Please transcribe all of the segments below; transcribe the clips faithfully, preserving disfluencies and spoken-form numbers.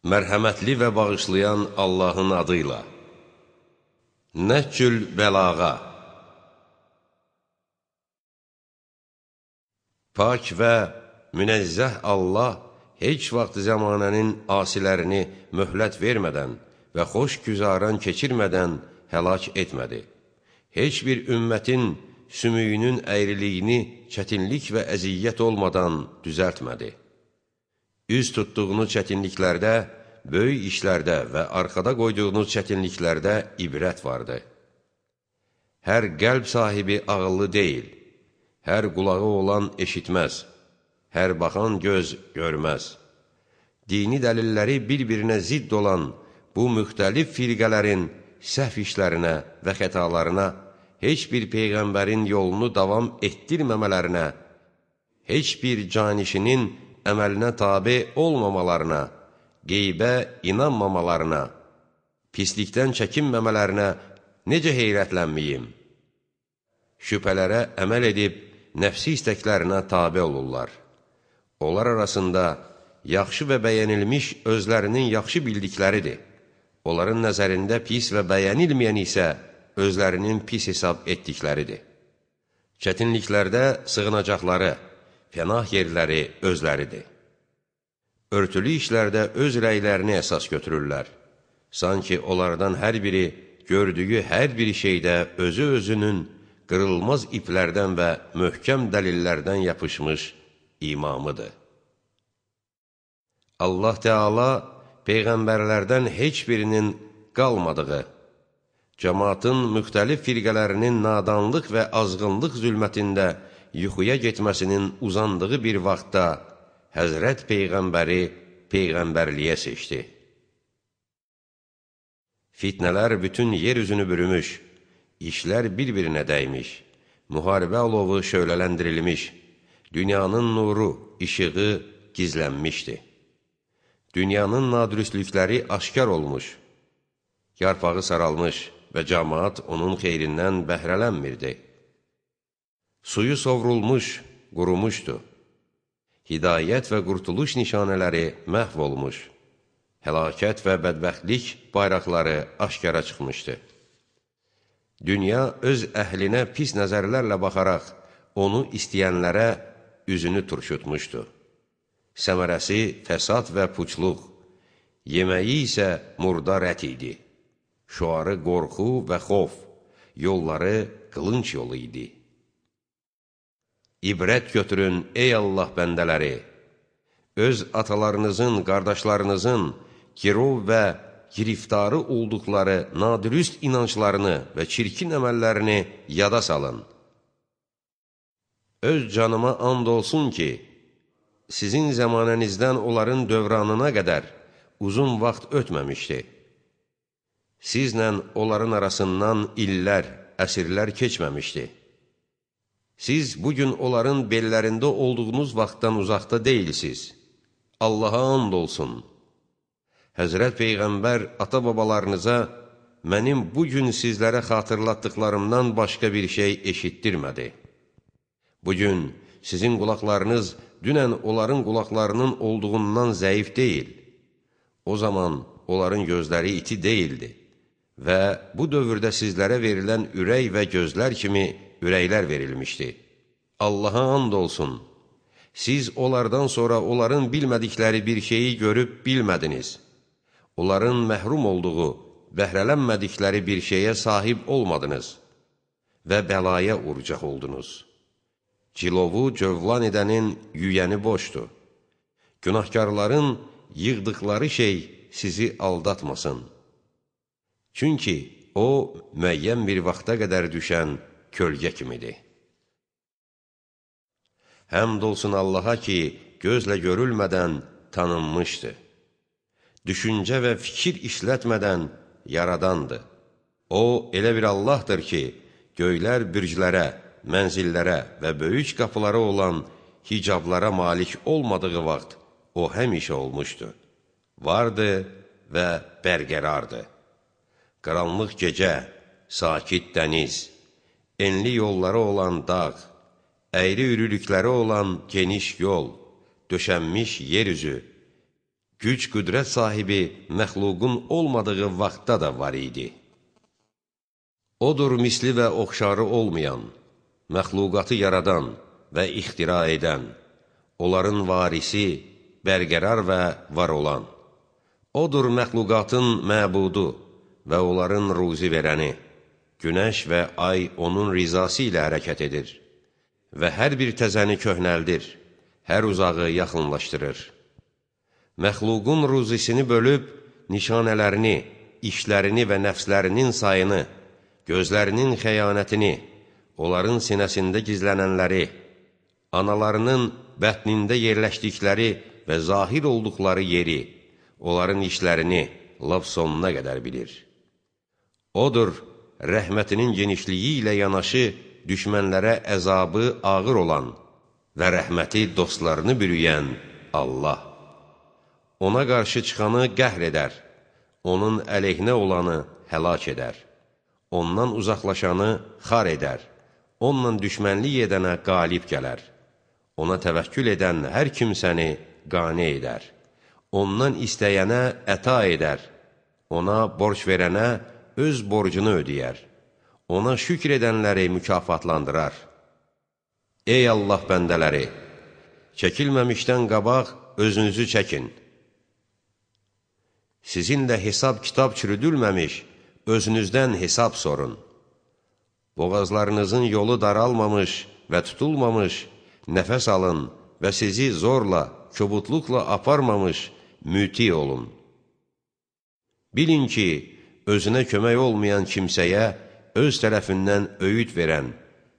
Mərhəmətli və bağışlayan Allahın adıyla. Nəhcül bəlağa. Pak və münəzzəh Allah heç vaxt zəmanənin asilərini möhlət vermədən və xoş güzaran keçirmədən həlak etmədi. Heç bir ümmətin sümüyünün əyriliyini çətinlik və əziyyət olmadan düzəltmədi. Üz tutduğunuz çətinliklərdə, böyük işlərdə və arxada qoyduğunuz çətinliklərdə ibrət vardı. Hər qəlb sahibi ağıllı deyil, hər qulağı olan eşitməz, hər baxan göz görməz. Dini dəlilləri bir-birinə zidd olan bu müxtəlif firqələrin səhv işlərinə və xətalarına, heç bir peyğəmbərin yolunu davam etdirməmələrinə, heç bir canişinin əməlinə tabe olmamalarına, qeybə inanmamalarına, pislikdən çəkinməmələrinə necə heyrətlənməyim? Şübhələrə əməl edib, nəfsi istəklərinə tabe olurlar. Onlar arasında yaxşı və bəyənilmiş özlərinin yaxşı bildikləridir. Onların nəzərində pis və bəyənilməyən isə özlərinin pis hesab etdikləridir. Çətinliklərdə sığınacaqları, pənah yerləri özləridir. Örtülü işlərdə öz rəylərini əsas götürürlər. Sanki onlardan hər biri gördüyü hər bir şeydə özü özünün qırılmaz iplərdən və möhkəm dəlillərdən yapışmış imamıdır. Allah Teala peyğəmbərlərdən heç birinin qalmadığı, cəmaatın müxtəlif firqələrinin nadanlıq və azğınlıq zülmətində yuxuya getməsinin uzandığı bir vaxtda Həzrət Peyğəmbəri Peyğəmbərliyə seçdi. Fitnələr bütün yer üzünü bürümüş, işlər bir-birinə dəymiş, müharibə alovu şöylələndirilmiş, dünyanın nuru, işığı gizlənmişdi. Dünyanın nadürüstlükləri aşkar olmuş, yarpağı saralmış və cəmaat onun xeyrindən bəhrələnmirdi. Suyu sovrulmuş, qurumuşdu. Hidayət və qurtuluş nişanələri məhv olmuş, həlakət və bədbəxtlik bayraqları aşkara çıxmışdı. Dünya öz əhlinə pis nəzərlərlə baxaraq, onu istəyənlərə üzünü turşutmuşdu. Səmərəsi fəsad və puçluq, yeməyi isə murdar ət idi. Şuarı qorxu və xof, yolları qılınc yolu idi. İbrət götürün, ey Allah bəndələri! Öz atalarınızın, qardaşlarınızın girov və giriftarı olduqları nadürüst inanclarını və çirkin əməllərini yada salın. Öz canıma and olsun ki, sizin zəmanənizdən onların dövranına qədər uzun vaxt ötməmişdi. Sizlə onların arasından illər, əsrlər keçməmişdi. Siz bugün onların bellərində olduğunuz vaxtdan uzaqda deyilsiniz. Allaha and olsun. Həzrət Peyğəmbər ata-babalarınıza mənim bugün sizlərə xatırlatdıqlarımdan başqa bir şey eşitdirmədi. Bugün sizin qulaqlarınız dünən onların qulaqlarının olduğundan zəif deyil. O zaman onların gözləri iti deyildi və bu dövrdə sizlərə verilən ürək və gözlər kimi ürəklər verilmişdi. Allaha and olsun, siz onlardan sonra onların bilmədikləri bir şeyi görüb bilmədiniz. Onların məhrum olduğu, bəhrələnmədikləri bir şeyə sahib olmadınız və bəlaya uğrayacaq oldunuz. Cilovu cövlan edənin yüyəni boşdur. Günahkarların yığdıqları şey sizi aldatmasın. Çünki o, müəyyən bir vaxta qədər düşən kölgə kimidir. Həmd olsun Allaha ki, gözlə görülmədən tanınmışdır. Düşüncə və fikir işlətmədən yaradandır. O, elə bir Allahdır ki, göylər bürclərə, mənzillərə və böyük qapıları olan hicablara malik olmadığı vaxt o həmişə olmuşdur. Vardı və bərqərardır. Qaranlıq gecə, sakit dəniz, enli yolları olan dağ, əyri ürülükləri olan geniş yol, döşənmiş yer üzü, güc qüdrət sahibi məxluqun olmadığı vaxtda da var idi. Odur misli və oxşarı olmayan, məxluqatı yaradan və ixtira edən, onların varisi, bərqərar və var olan. Odur məxluqatın məbudu və onların ruzi verəni. Günəş və ay onun rizası ilə hərəkət edir və hər bir təzəni köhnəldir, hər uzağı yaxınlaşdırır. Məxluqun ruzisini bölüb, nişanələrini, işlərini və nəfslərinin sayını, gözlərinin xəyanətini, onların sinəsində gizlənənləri, analarının bətnində yerləşdikləri və zahir olduqları yeri, onların işlərini lap sonuna qədər bilir. Odur, rəhmətinin genişliyi ilə yanaşı düşmənlərə əzabı ağır olan və rəhməti dostlarını bürüyən Allah. Ona qarşı çıxanı qəhr edər, onun əleyhinə olanı həlak edər, ondan uzaqlaşanı xar edər, onunla düşmənlik edənə qalib gələr, ona təvəkkül edən hər kimsəni qane edər, ondan istəyənə əta edər, ona borc verənə öz borcunu ödəyər, ona şükr edənləri mükafatlandırar. Ey Allah bəndələri, çəkilməmişdən qabaq özünüzü çəkin. Sizinlə hesab kitab çürüdülməmiş, özünüzdən hesab sorun. Boğazlarınızın yolu daralmamış və tutulmamış, nəfəs alın və sizi zorla, kobudluqla aparmamış, müti olun. Bilin ki, özünə kömək olmayan kimsəyə öz tərəfindən öyüd verən,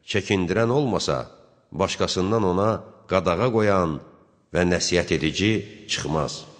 çəkindirən olmasa, başqasından ona qadağa qoyan və nəsihət edici çıxmaz.